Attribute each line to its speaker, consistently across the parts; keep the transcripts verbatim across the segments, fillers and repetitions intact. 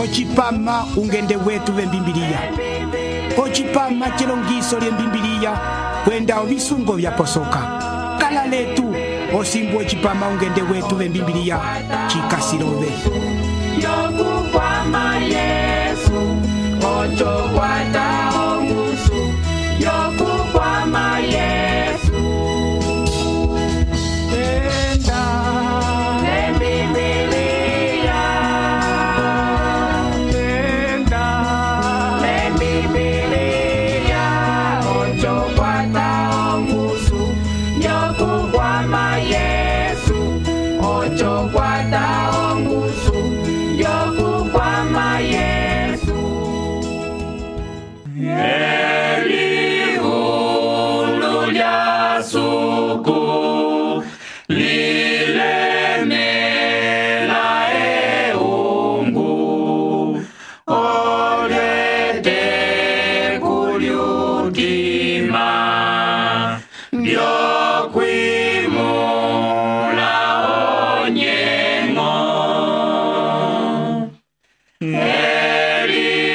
Speaker 1: ocipama ungende wetu vembimbiliya, ocipama celongiso lyembimbiliya kwenda ovisungo vyaposoka. Kala letu osimbu ocipama ungende wetu vembimbiliya cikasirove.
Speaker 2: Yokukwama Yesu, ocho kwata ongusu. Yokukwama Yesu, enda lembibiliya, enda lembibiliya, ocho kwata ongusu. Yokukwama Yesu, ocho kwata ongusu. Yokukwama Yesu. Eliulu lya suku lilemela eungu olyete kulyukima lyokwimula onyengo.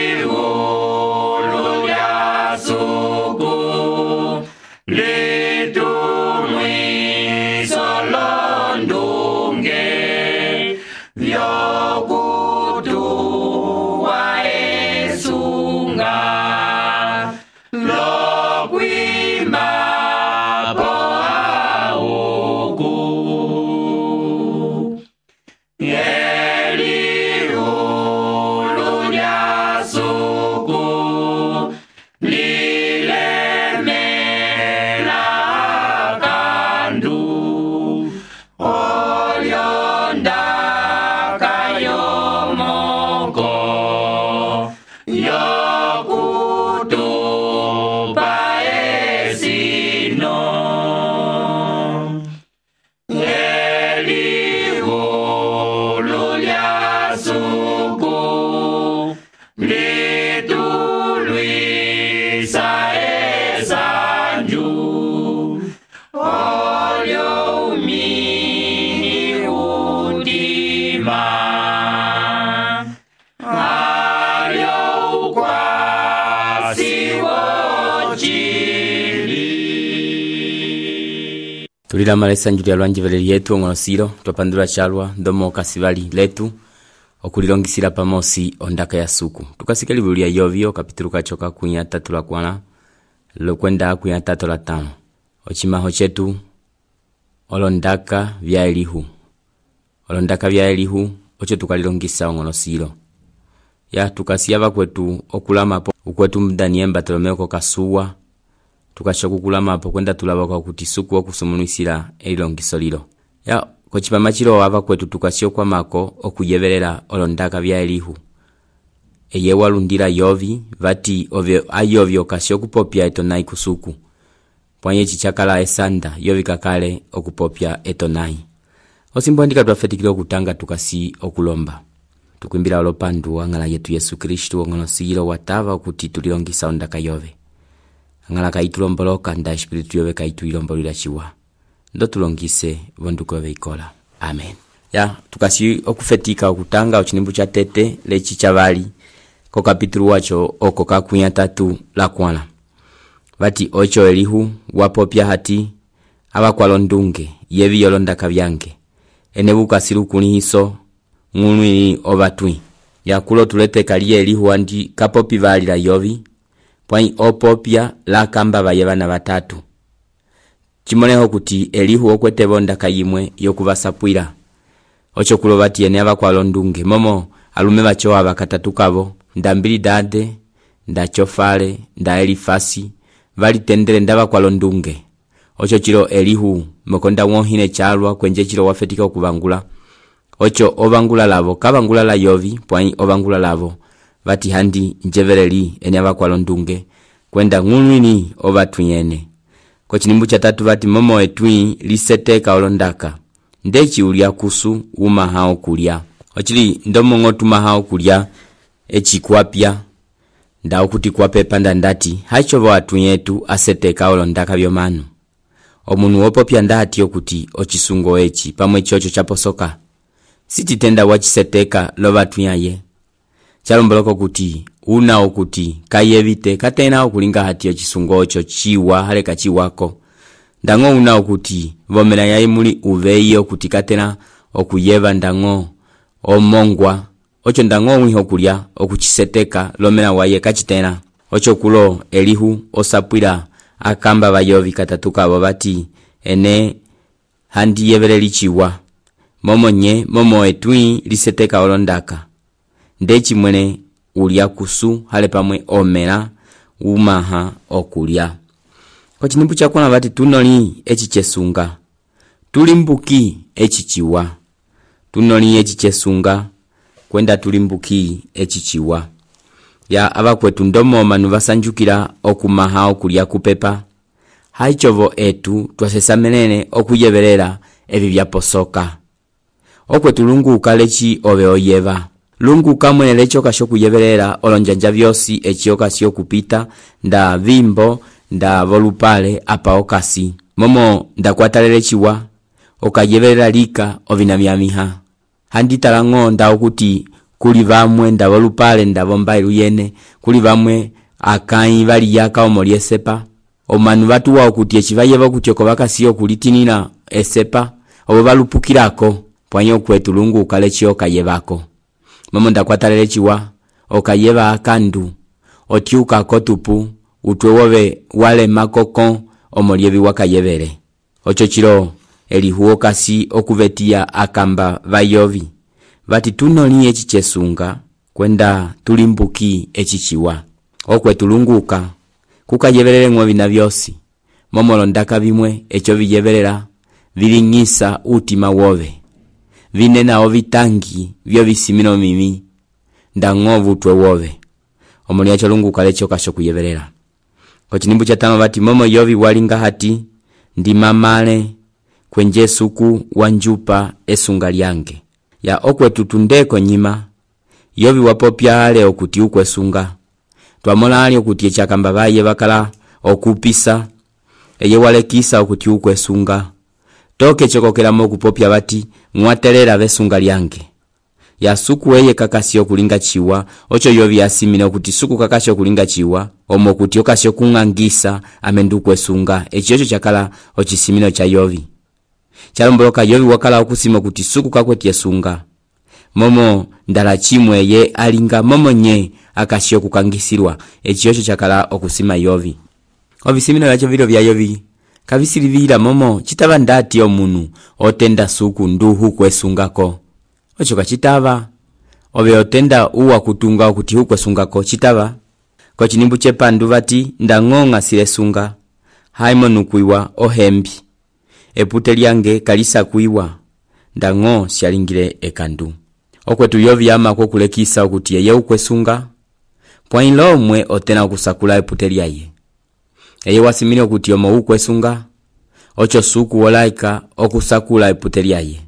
Speaker 2: Eliulu lya suku litumwiso londunge vyokutuwa esunga lokwimapo auku. Eliulu lya suku lilemela kandu olyondaka yomoko yokutupa esino. Eliulu lya suku litulwisa esanju olyo umini udima alyo ukwasi wochili.
Speaker 3: Tulilama esanju lya lwanjivele lyetu ong'onosilo twapandula chalwa ndomo kasivali letu okulilongisila pamosi ondaka ya suku. Tukasika libulu lya Yovio kapitulu kachoka kunya tatu la kwana lokwenda kunya tatu la tano. Ochimaho chetu olondaka vya Elihu. Olondaka vya Elihu ocho tukalilongisa ong'onosilo. Ya tukasiyava kwetu okulamapo ukwetu Daniel Bartolomeo ko kasuwa tukashoku kulamapo kwenda tulabaka kuti suku okusumunisila elilongiso lilo. Ya kochipama chilo wava kwetu tukasio kwa mako okuyevelela olondaka vya Elihu. Eye walundila Yovi vati ovyo ayovyo kasio kupopya etonai kusuku. Pwanye chichakala esanda Yovi kakale okupopya etonai. Osimbo ndika tuafetikile okutanga tukasi okulomba. Tukuimbila olopandu angala yetu Yesu Kristu ong'onosilo watava okuti tulilongisa ondaka Yove. Angala kaitulomboloka nda espiritu Yove kaituilombolila chiwa. Ndo tulongise vonduko veikola. Amen. Ya tukasi okufetika okutanga ochinimbu cha tete lechi chavali ko kapitulu wacho oko kakunya tatu la kwana. Vati ocho Elihu wapopya hati abakwalondunge yevi yolondaka vyange. Enebuka silukuni hiso ng'unwi ovatwi. Ya kulo tulete kaliye Elihu andi kapopi vali la Yovi. Pwani opopya la kamba bayevana batatu. Chimoneho kuti Elihu okwete bondaka yimwe yokubasapwira. Ocho kulo vati yene abakwalondunge momo alume bacho abakatattukabo ndambili dade nda chofale nda Elifasi vali tendele ndabakwalondunge. Ocho chilo Elihu mokonda wonhine chalwa kwenje chilo wafetika okubangula. Ocho obangula lavo kabangula la Yovi pwani obangula lavo vati handi njevereli ene abakwalondunge kwenda ng'unwini obatuyene. Kochinimbu cha tatu vati momo etui liseteka olondaka. Ndechi ulia kusu uma hao kulia. Ochili ndomo ngotuma hao kulia echi kuapia. Nda okuti kuape panda ndati haichovo watu yetu aseteka olondaka vyomanu. Omunu wopopya ndati okuti ochisungo echi pamwe chocho chaposoka. Siti tenda wachiseteka lo watu yaye. chalomboloko kuti una okuti kayevite katena okulinga hati ochisungo ocho chiwa hale kachiwako. Ndango una okuti vomera yayi muli uveyi okuti katena okuyeva ndango omongwa. Ocho ndango wiho kulya okuchiseteka lomera waye kachitena. Ocho kulo elihu osapwila akamba bayovi katatuka abo bati ene handi yevereli chiwa. Momo nye momo etui liseteka olondaka. Ndechi mwene ulia kusu hale pamwe omera umaha okulya. Kwa chinimbu chakwana bati tunoli echi chesunga. Tulimbuki echi chiwa. Tunoli echi chesunga kwenda tulimbuki echi chiwa. Ya abakwetu ndomo manu basanjukira okumaha okulya kupepa. Haichovo etu twasesamenene okuyeverera ebi byaposoka. Okwetu lungu ukalechi obe oyeva. Lungu kamwene lecho kasho kuyeverera olonjanja vyosi echi okasi okupita nda vimbo nda volupale apa okasi. Momo nda kwatalele chiwa okayeverera lika ovina myamiha. Handi talango nda okuti kuli vamwe nda volupale nda vombailu yene. Kuli vamwe akai vali yaka omoli esepa. Omanu batu wa okuti echivayeva okuti oko bakasi okulitinina esepa. Obo balupukirako pwanyo kwetu lungu ukalechi okayevako. Momo nda kwatalele chiwa okayeva akandu otiuka kotupu utwewobe wale makoko omolievi wakayevere. Ocho chilo elihuo kasi okuvetia akamba vayovi. Vati tunoli echi chesunga kwenda tulimbuki echi chiwa. Okwe tulunguka kukayeverere ng'ovina vyosi. Momo londaka bimwe echo viyeverera vilingisa utima wobe. Vinena ovitangi vyo visimino mimi ndangovu twe wobe. Omoli acho lunguka lecho kasho kuyeverera. Kwa chinimbu cha tano bati momo yovi walinga hati ndi mamale kwenje suku wanjupa esunga lyange. Ya okwe tutundeko nyima yovi wapopya hale okuti ukwe sunga. Twamola hali okuti echakamba baye bakala okupisa eye wale kisa okuti ukwe sunga. Toke chokokela moku popya bati mwatelera besunga lyange. Ya suku eye kakasi okulinga chiwa ocho yovi asimine okuti suku kakasi okulinga chiwa omo okuti okasi okungangisa amendu kwesunga echiyocho chakala ochisimino cha yovi. Chalomboloka yovi wakala okusima okuti suku kakweti esunga. Momo ndala chimwe ye alinga momo nye akasi okukangisirwa echiyocho chakala okusima yovi. Ovisimino yacho vilo vya yovi kabisilivira momo chitaba ndati omunu otenda suku nduhu kwesungako. Ocho kachitaba obe otenda uwa kutunga okuti hu kwesungako chitaba. Kwa chinimbu chepandu bati ndangonga silesunga haimonu kuiwa ohembi. Epute lyange kalisa kuiwa ndango sialingile ekandu. Okwetu yovi ama kukulekisa okuti yeye ukwesunga pwainlo mwe otena okusakula epute lyaye. Eye wasimini okuti omo ukwesunga ocho suku wolaika okusakula epute lyaye.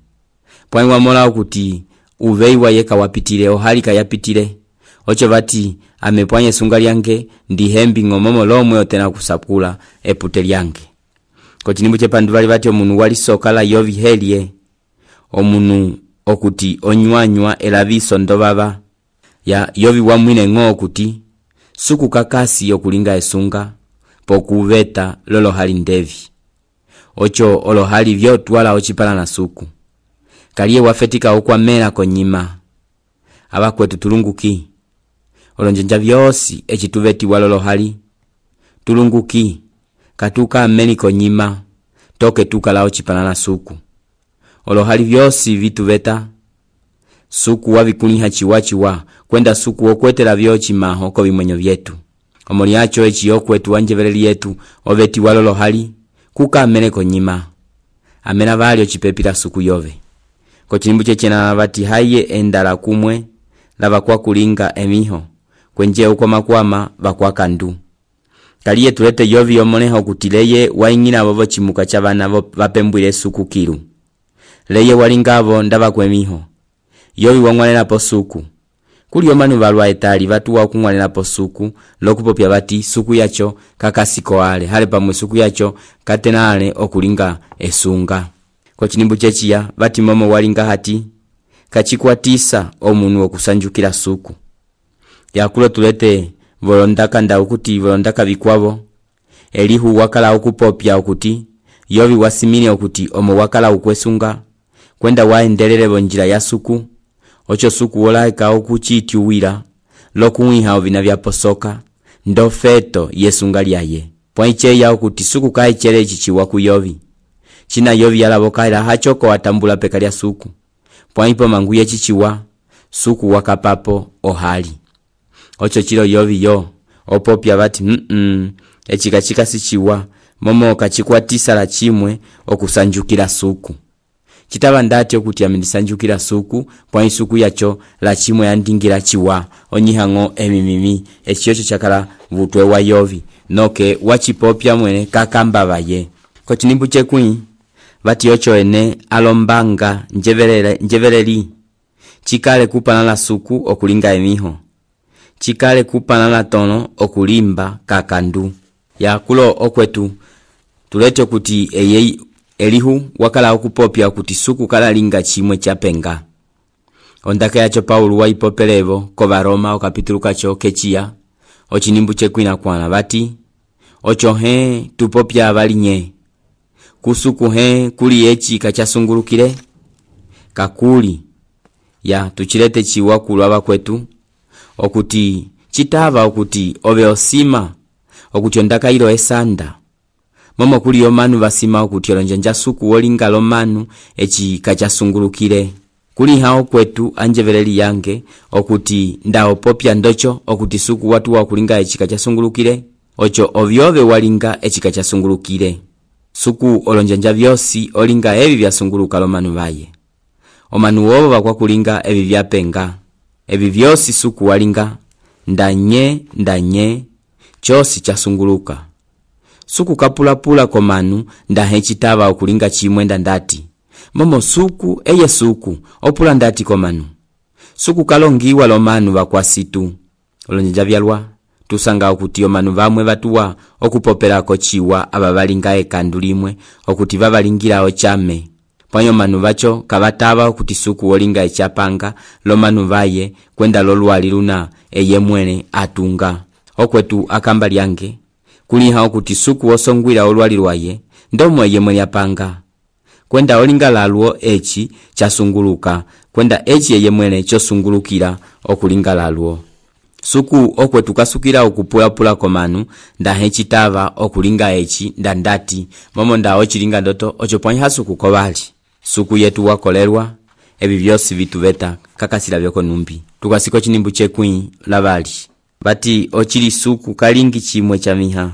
Speaker 3: Pwainwa mola okuti uveiwa yeka wapitile ohalika yapitile. Ocho bati amepwanye sunga lyange ndi hembi ngomomo lomwe otena kusakula epute lyange. Kwa chinimbu chepandu bali bati omunu wali sokala yovi helie omunu okuti onywanywa elaviso ndobaba. Ya yovi wamwine ngo okuti suku kakasi okulinga esunga pokuveta lolo hali ndevi. Ocho olo hali vyo tuwala ochipala na suku. Kaliye wafetika okwa mela konyima. Abakwetu tulunguki. Olonjenja vyosi echituveti walolo hali. Tulunguki. Katuka ameni konyima. Toke tuka lao chipala na suku. Olo hali vyosi vituveta. Suku wabikuniha chiwachiwa. Kwenda suku okwetela vyochi maho ko bimwenyo vyetu. Omoli acho echi okwetu wanjevereli yetu oveti walolo hali. Kuka amene konyima. Amena vali ochipepila suku yove. Kwa chinimbu chechena bati haye endala kumwe lava kwa kulinga emiho. Kwenje uko makwama bakwa kandu. Kaliye tulete yovi yomoneha okutileye waingina bobo chimuka chabana vapembwile suku kiru. Leye walingavo ndaba kwemiho. Yovi wangwanela po suku. Kuli yomanu balwa etali batu wa kungwanela po suku lokupopya bati suku yacho kakasiko ale. Hale pamwe suku yacho katenale okulinga esunga. Kwa chinimbu chechiya bati momo walinga hati kachikwatisa omunu okusanjukila suku. yakulo tulete volondaka nda ukuti volondaka bikwavo Elihu wakala ukupopya ukuti Yovi wasimile ukuti omo wakala ukwesunga kwenda waendelele bonjira ya suku ocho suku wolaika okuchitiwira lokuwiha ovina vyaposoka ndo feto yesunga lyaye pwaiche ya ukuti suku kaichere chichiwa ku Yovi china Yovi yalabokaila hachoko watambula peka lya suku pwaipo manguye chichiwa suku wakapapo ohali ocho chilo Yovi yo opopya bati mm -mm, echika chika sichiwa momo kachikwatisa la chimwe okusanjukira suku chitaba ndati okuti amenisanjukira suku pwa suku yacho la chimwe yandingira chiwa onyihango emimimi echiyocho chakala vutwe wa Yovi noke wachipopya mwene kakamba baye ko chinimbu chekwi bati ocho ene alombanga njeverele njevereli chikale kupana la suku okulinga emiho chikale kupana la tono okulimba kakandu ya kulo okwetu tulete kuti eye Elihu wakala okupopya kuti suku kala linga chimwe chapenga ondaka yacho Paulo waipopelevo ko Baroma okapitulu kacho kechia ochinimbu chekwina kwana bati ocho he tupopya abalinye kusuku he kuli echi kachasungulukire kakuli ya tuchilete chiwa kulwa kwetu okuti chitava okuti ove osima okuti ondaka ilo esanda momo kuli yomanu basima okuti olonjanja suku wolinga lomanu echi kachasungulukire kuli hao kwetu anjevereli yange okuti ndao popya ndocho okuti suku watu wa kulinga echi kachasungulukire ocho ovyove walinga echi kachasungulukire suku olonjanja vyosi olinga evi vyasunguluka lomanu baye omanu wobo bakwa kulinga evi vyapenga evi vyosi suku walinga ndanye ndanye chosi chasunguluka suku kapulapula komanu ndahe chitava okulinga chimwe ndandati momo suku eye suku opula ndati komanu suku kalongiwa lomanu bakwasitu olonjanja byalwa tusanga okuti omanu bamwe batuwa okupoperako chiwa ababalinga ekandu limwe okuti babalingirawo chame pwanyo manu bacho kabataba okuti suku wolinga echapanga lomanu baye kwenda lolwali luna eye mwene atunga okwetu akamba lyange kuli hao kuti suku osongwira olwali lwaye ndomo eye mwene apanga kwenda olinga laluo echi chasunguluka kwenda echi eye mwene chosungulukira okulinga laluo suku okwetu kasukira okupula-pula komanu ndahe chitava okulinga echi ndandati momo nda ochilinga ndoto ocho pwanyi hasuku kobali suku yetu wakolerwa ebi byosi bitubeta kakasila byoko numbi tukasiko chinimbu chekwi labali bati ochili suku kalingi chimwe cha miha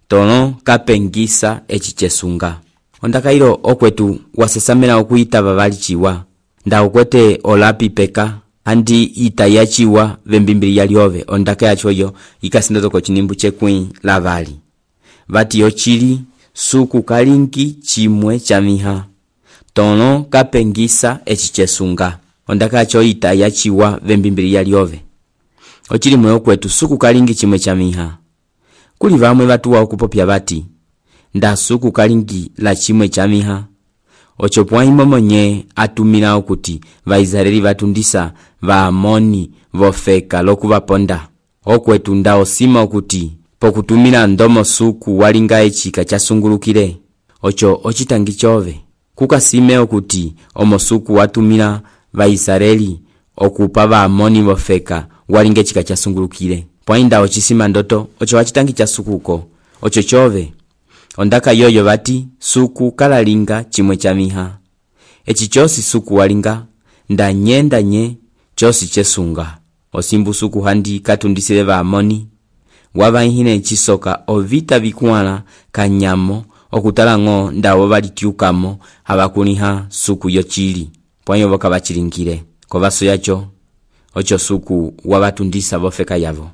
Speaker 3: tono kapengisa echi chesunga ondaka ilo okwetu wasesamela okuita babali chiwa nda okwete olapi peka andi itaya chiwa vembimbili yaliove ondaka yacho yo ikasindoto ko chinimbu chekwi labali bati ochili suku kalingi chimwe cha miha tono kapengisa echi chesunga ondaka yacho itaya chiwa vembimbili yaliove ochili mwe okwetu suku kalingi chimwe cha miha kuli vamwe batuwa okupopya bati nda suku kalingi la chimwe cha miha ocho pwaimo monye atumila okuti vaizareli batundisa va Amoni vofeka lokuvaponda okwetu nda osima okuti pokutumila ndomo suku walinga echika chasungulukire ocho ochitangi chove kukasime okuti omo suku watumila vaizareli okupa va Amoni vofeka walinga echika chasungulukire pwainda ochisima ndoto ocho wachitangi cha sukuko ocho chove ondaka yoyo bati suku kalalinga chimwe cha miha echi chosi suku walinga ndanye ndanye chosi chesunga osimbu suku handi katundisile va Amoni wabaihine chisoka ovita bikuana kanyamo okutala ngo ndawo balitiukamo abakuniha suku yochili pwanyo boka bachilingire kobaso yacho ocho suku wabatundisa bofeka yavo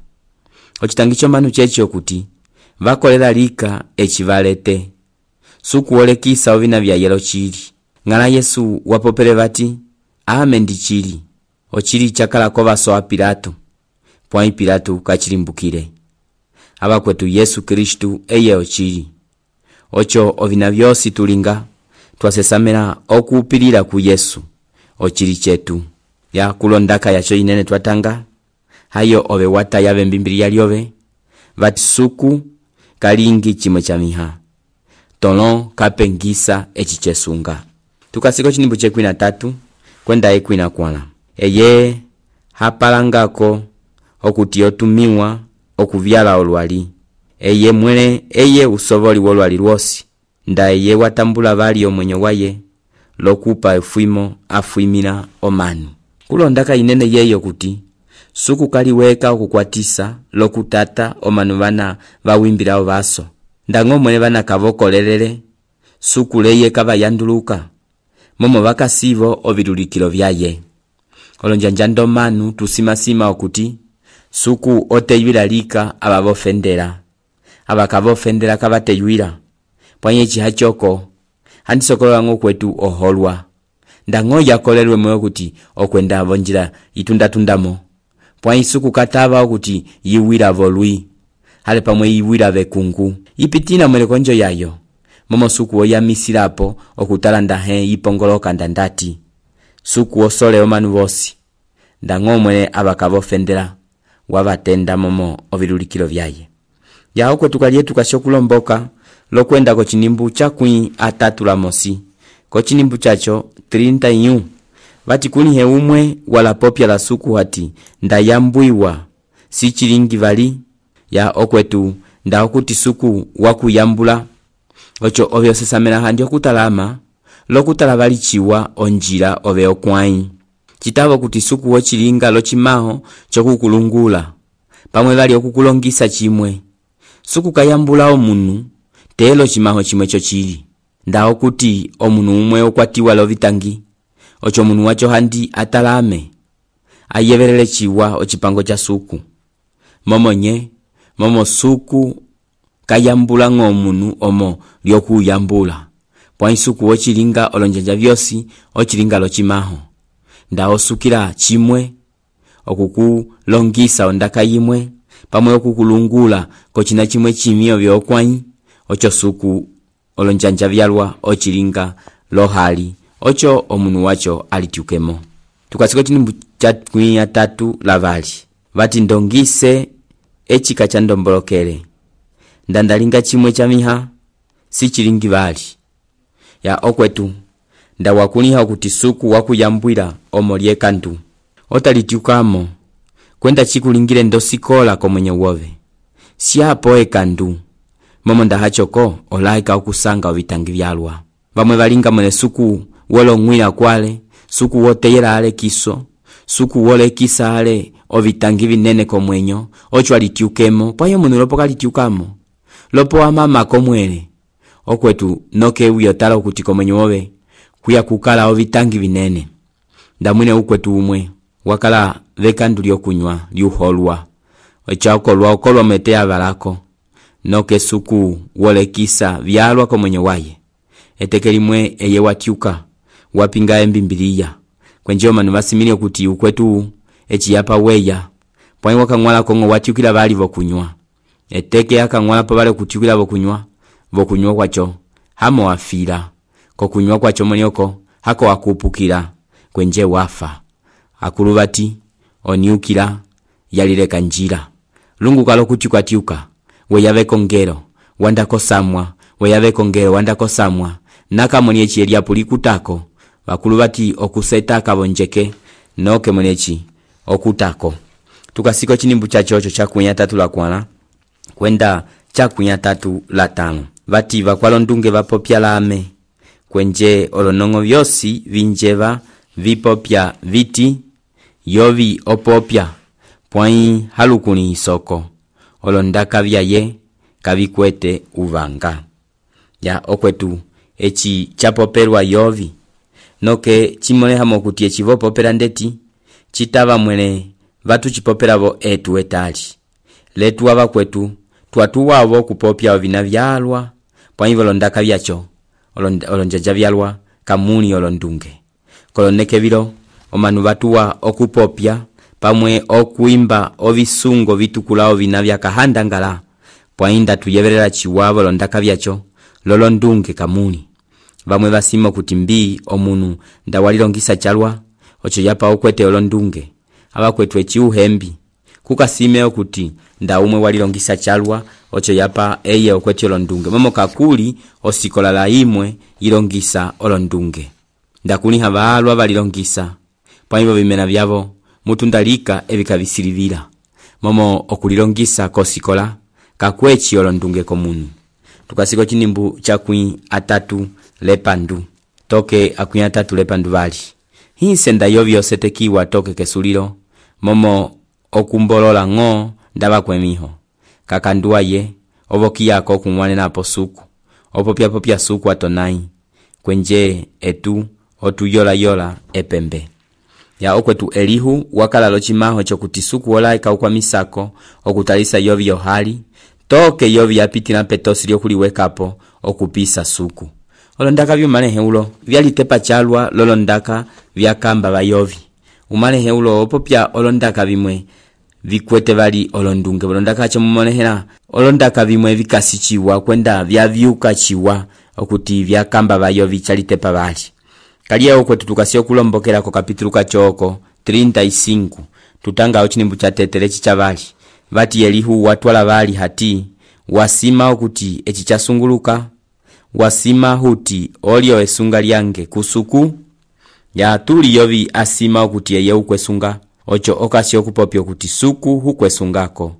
Speaker 3: ochitangicho manu chechi okuti vakolela lika echivalete suku olekisa ovina vya yelo chili ngala Yesu wapopele bati ame ndi chili ochili chakala kobaso a Pilato pwa Pilato kachilimbukire abakwetu Yesu Kristu eye ochili ocho ovina vyosi tulinga twasesamela okupilira ku Yesu ochili chetu ya kulondaka yacho inene twatanga hayo ove wata yave mbimbiliya lyove vati suku kalingi chimwe cha miha tolon kapengisa eci chesunga. Tukasiko chinimbu chekwi na tatu kwenda ekwi na kwana eye hapalangako okuti otumiwa okuvyala olwali eye mwele eye usovoli wolwali lwosi nda eye watambula vali omwenyo waye lokupa efuimo afuimina omanu kulondaka inene yeyo kuti suku kaliweka okukwatisa lokutata omanu vana vawimbila vaso ndango mwele vana kavokolelele suku leye kava yanduluka momo vakasivo ovilulikilo vyaye olonjanjando manu tusimasima okuti suku oteywilalika abavofendela abakavofendela kavateywila pwanye chihachoko handisokolola ngo kwetu oholwa ndango yakolelwe mwe kuti okwenda vonjila itundatundamo pwanye suku katava okuti yiwila volwi hale pamwe yiwila vekungu ipitina mwele konjo yayo momo suku oyamisilapo okutala ndahe ipongoloka ndandati suku osole omanu vosi ndango mwele abakavofendela wavatenda momo ovilulikilo vyaye ya okwetu kalyetu kashokulomboka lokwenda ko chinimbu chakwi atatu la mosi ko chinimbu chacho thelathini y uno vati kunihe umwe wala popya la suku hati ndayambwiwa si chilingi vali ya okwetu nda okuti suku wakuyambula ocho ovyo sesamela handi okutalama lokutala vali chiwa onjila ove okwai chitavo kuti suku wochilinga lochimaho chokukulungula pamwe vali okukulongisa chimwe suku kayambula omunu telo chimaho chimwe chochili nda okuti omunu umwe okwatiwa lovitangi ocho munu wacho handi atalame ayeverele chiwa ochipango cha suku momonye momo suku kayambula ng'omunu omo lyokuyambula pwa suku wochilinga olonjanja vyosi ochilinga lochimaho nda osukila chimwe okukulongisa ondaka yimwe pamwe okukulungula kochina chimwe chimio vyokwai ocho suku olonjanja vyalwa ochilinga lohali ocho omunu wacho alitiukemo. Tukasiko chinimbu chakwi ya tatu lavali vati ndongise echika cha ndombolokele ndandalinga chimwe cha miha si chilingi vali ya okwetu nda wakuniha kuti suku wakuyambwila omolye kantu otalitiukamo kwenda chikulingile ndosikola komwenye wove siapo ekandu momo ndahachoko olaika okusanga ovitangi vyalwa vamwe valinga mwene suku wolongwila kwale suku woteyela ale kiso suku wole kisa ale ovitangi vinene komwenyo ocho alitiukemo pwayo munu lopo kalitiukamo lopo amama komwele okwetu noke uyotala okuti komwenyo wove kuya kukala ovitangi vinene ndamwine ukwetu umwe wakala vekandu lyokunywa lyuholwa ochaokolwa okolwa metea valako noke suku wole kisa vyalwa komwenyo waye etekelimwe eye watiuka wapinga embimbiliya kwenjeo manu vasimile kuti ukwetu echiyapa weya pwani wakangwala kongo watiukila vali vokunywa eteke akangwala pa vale kutiukila vokunywa vokunywa kwacho hamo wafila kokunywa kwacho monioko hako wakupukila kwenje wafa akuluvati oniukila yalileka njira lungu kalo kuti kwatiuka weyave kongero wandako samwa weyave kongero wandako samwa naka moniechi eliapuli kutako vakuluvati okuseta kabonjeke noke moniechi okutako. Tukasiko chinimbu cha chocho chakunya tatu la kwana kwenda chakunya tatu la tano vati vakwalondunge vapopya lame kwenje olonongo vyosi vinjeva vipopya viti yovi opopya pwai halukuni isoko olondaka vyaye kavikwete uvanga ya okwetu echi chapoperwa yovi noke chimole hamo kuti echi vopopera ndeti chitava mwene vatu chipoperavo etu etali letu wava kwetu tuatu wavo kupopya ovina vyalwa pwai volondaka vyacho olonjaja vyalwa kamuni olondunge koloneke vilo omanu vatuwa okupopya pamwe okuimba ovisungo vitukulao vina vyakahandangala pwainda tuyeverera chiwavo londaka vyacho lolondunge kamuni vamwe vasimo kuti mbii omunu ndawalilongisa chalwa ocho yapa okwete olondunge aba kwetu echi uhembi kukasime okuti nda umwe walilongisa chalwa ocho yapa eye okweti olondunge momo kakuli osikola la imwe ilongisa olondunge ndakuni habalwa balilongisa paibo bimena byabo mutundalika ebikabisilivira momo okulilongisa kosikola kakwechi olondunge komunu tukasiko chinimbu chakwi atatu lepandu toke akwi atatu lepandu bali hinse ndayovyo setekiwa toke kesulilo momo okumbolola ngo ndaba kwemiho kakandua ye oboki yako kumwane napo suku opopya popya suku atonai kwenje etu otuyola yola epembe ya okwetu Elihu wakala lochimaho chokuti suku ola ikaukwa misako okutalisa yovyo hali toke yovyo yapitila petosi lyokuliwekapo okupisa suku olondaka byumalehe ulo byalitepa chalwa lolondaka byakamba bayovi umalehe ulo opopya olondaka bimwe vikwete bali olondunge olondaka chomumonehera olondaka bimwe vikasichiwa kwenda byavyuka chiwa okuti byakamba bayovi chalitepa bali kaliye okwetu tukasio kulombokera ko kapitulu kachoko treinta y cinco tutanga ochinimbu cha tetere chichabali bati Elihu watwala bali hati wasima okuti echi chasunguluka wasima huti olio esunga lyange kusuku ya tuli yovi asima okuti eye ukwesunga ocho okasi okupopyo kuti suku hukwesungako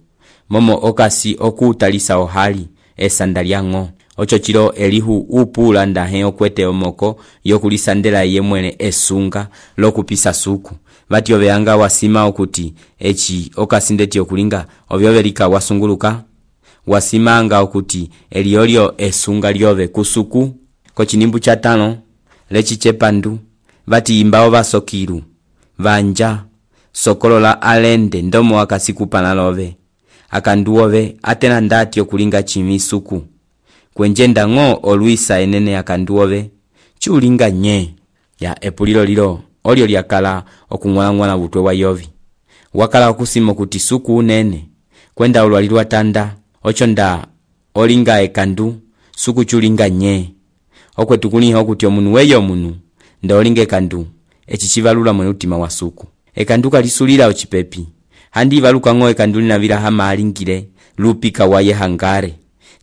Speaker 3: momo okasi okutalisa ohali esandaliango ocho chilo Elihu upula ndahe okwete omoko yokulisandela yemwene esunga lokupisa suku bati obeanga wasima okuti echi okasindeti okulinga obyoberika wasunguluka wasimanga okuti eliolio esunga lyobe kusuku kochinimbu cha tano lechi chepandu bati imbao basokiru vanja sokolola alende ndomo wakasikupa nalobe akanduobe atena ndati okulinga chimisuku kwenjenda ngo oluisa enene akanduobe chulinga nye ya epulilo lilo olio lyakala okungwala butwe wa yovi wakala okusimo kuti suku unene kwenda olwalilwa tanda ocho nda olinga ekandu suku chulinga nye okwetu kuniho kuti omunu weyo omunu nda olinga ekandu echichivalula mwe utima wa suku ekanduka lisulira ochipepi handi valuka ngo ekanduli na vila hama alingile lupika waye hangare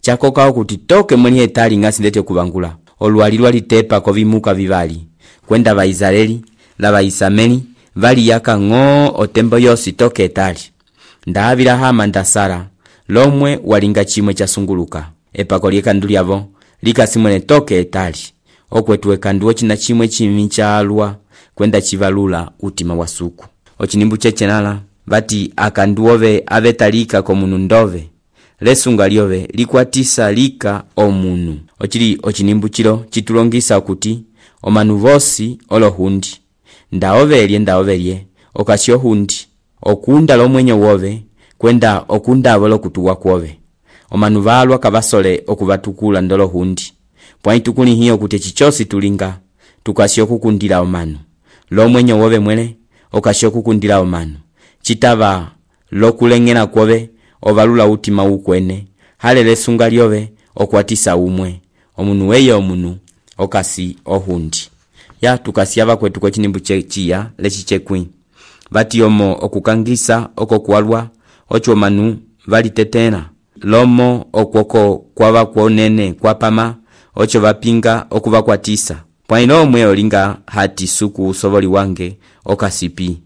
Speaker 3: chakoka okuti toke mweni etali ngasi ndete kubangula olwalilwa litepa ko vimuka vivali kwenda ba Israeli la ba Isameli vali yaka ngo otembo yosi toke etali ndavila hama ndasara lomwe walinga chimwe chasunguluka epako lyekanduli avo likasimwene toke etali okwetu ekandu ochina chimwe chimi chalwa kwenda chivalula utima wa suku ochinimbu chechenala bati akanduove avetalika komunu ndove lesunga lyove likwatisa lika omunu ochili ochinimbu chilo chitulongisa okuti omanu vosi olohundi ndaovelye ndaovelye okasio hundi okunda lomwenyo wove kwenda okunda avolo kutuwa kwove omanu valwa kabasole okuvatukula ndolo hundi pwaitukuni hiyo kuti chichosi tulinga tukasio kukundila omanu lomwenyo wove mwele okasio kukundila omanu chitava lokulengena kwove ovalula utima ukwene halele sunga lyove okwatisa umwe omunu weye omunu okasi ohundi ya tukasiava kwetu kwa chinimbu chechiya lechichekwi bati omo okukangisa okokwalwa ocho manu valitetena lomo okwoko kwava kwonene kwapama ocho vapinga okuvakwatisa pwaino omwe olinga hati suku usovoli wange okasipi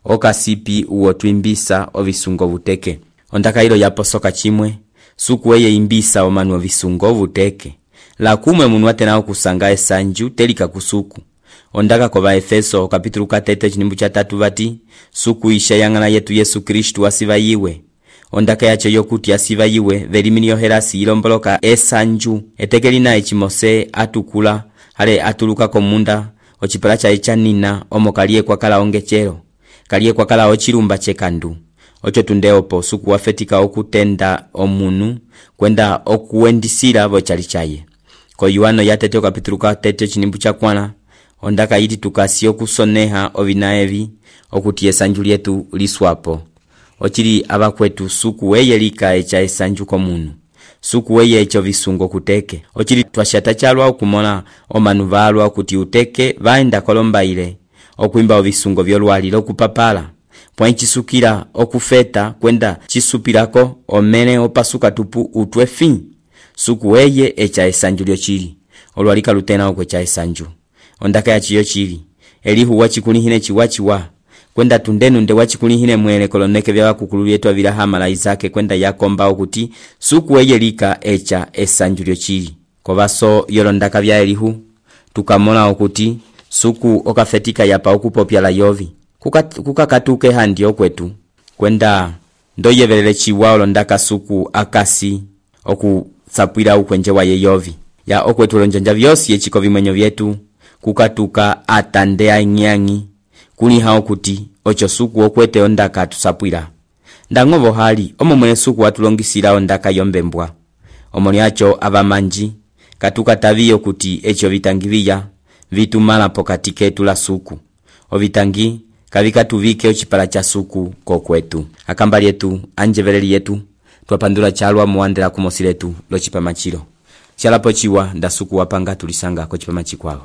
Speaker 3: okasipi uwo twimbisa ovisungo vuteke ondaka ilo yaposoka chimwe suku eye imbisa omanu ovisungo vuteke la kumwe munu atena okusanga esanju telika kusuku ondaka kova Efeso kapitulu katete chinimbu cha tatu vati suku isha yangana yetu Yesu Kristu asiva yiwe ondaka yacho yokuti asiva yiwe velimini yoherasi ilomboloka esanju etekelina echimose atukula hale atuluka komunda ochipala cha echanina omokalie kwa kala ongechero kalie kwa kala ochilumba chekandu ocho tundeopo suku wafetika okutenda omunu kwenda okuwendisira vochali chaye ko Yohano yatete kapitulu katete chinimbu cha kwana ondaka yiti tukasio kusoneha ovinaevi okuti esanju lyetu liswapo ochili abakwetu suku weye lika echa esanju komunu suku weye echo visungo kuteke ochili twashata chalwa okumona omanu valwa kuti uteke vaenda kolomba ile okuimba ovisungo vyolwali lokupapala pwãyi cisukila okufeta kwenda cisupilako omene opasuka tupu utwe fi suku eye eca esanju lyocili olwalika lutena okwe ca esanju ondaka ya ciyo cili elihu wacikulihine ciwaciwa kwenda tundenu nde wacikulihine mwele koloneke vya wakukulu vyetu avila hamala izake kwenda yakomba okuti suku eye lika eca esanju lyocili kovaso yolondaka vya elihu tukamola okuti suku okafetika yapa okupopya la yovi kukakatuke kuka handi okwetu kwenda ndoyevelele ciwa olondaka suku akasi okusapwila ukwenje wa yeyovi ya okwetu olonjanja vyosi echiko vimwenyo vyetu kukatuka atande ainyangi kuliha okuti ocho suku okwete ondaka tusapwila ndangovo hali omo mwene suku watulongisila ondaka yombembwa omoni acho avamanji katuka tavi okuti echo vitangi viya vitumala pokati ketu la suku ovitangi kavika tuvike ochipala cha suku kokwetu akambali yetu anjeveleli yetu twapandula chalwa muandela kumosiletu lochipama chilo chalapo chiwa nda suku wapanga tulisanga kochipama chikwalo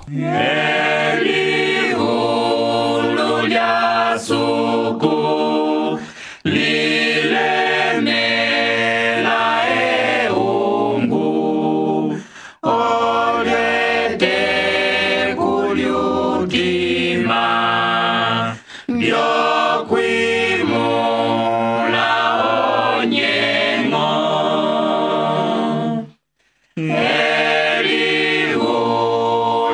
Speaker 2: Elihu lulya suku lilemela eungu olete kulyutima byokwimula onyengo Elihu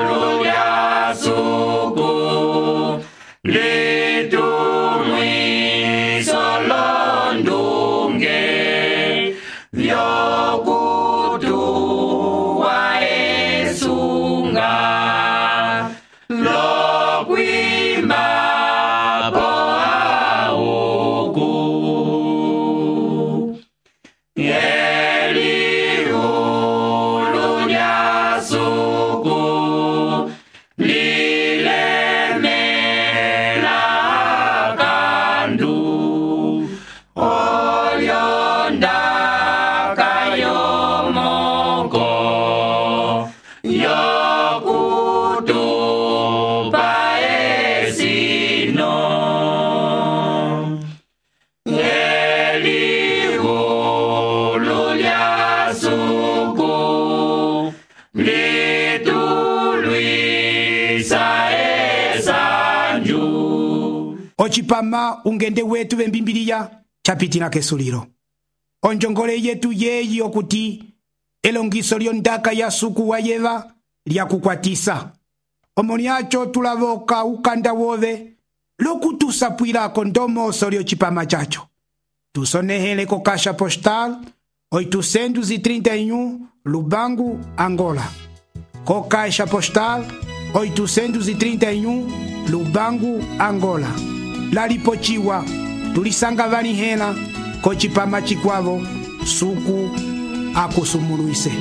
Speaker 2: lulya suku litumwiso londunge vyokutuwa esunga lokwima
Speaker 1: Ochipama ungende wetu vembimbiliya chapitina kesuliro onjongole yetu yeyi okuti elongiso lyondaka ya suku wa yeva lyakukwatisa omoni acho tulavoka ukanda wove lokutusapwilako ndomoso lyochipama chacho tusonehele ko kasha postal oitocentos e trinta e um Lubango, Angola. Co caixa postal oitocentos e trinta e um Lubango, Angola. Lalipochiwa tulisanga vanihela kochipama chikwavo suku akusumuluise.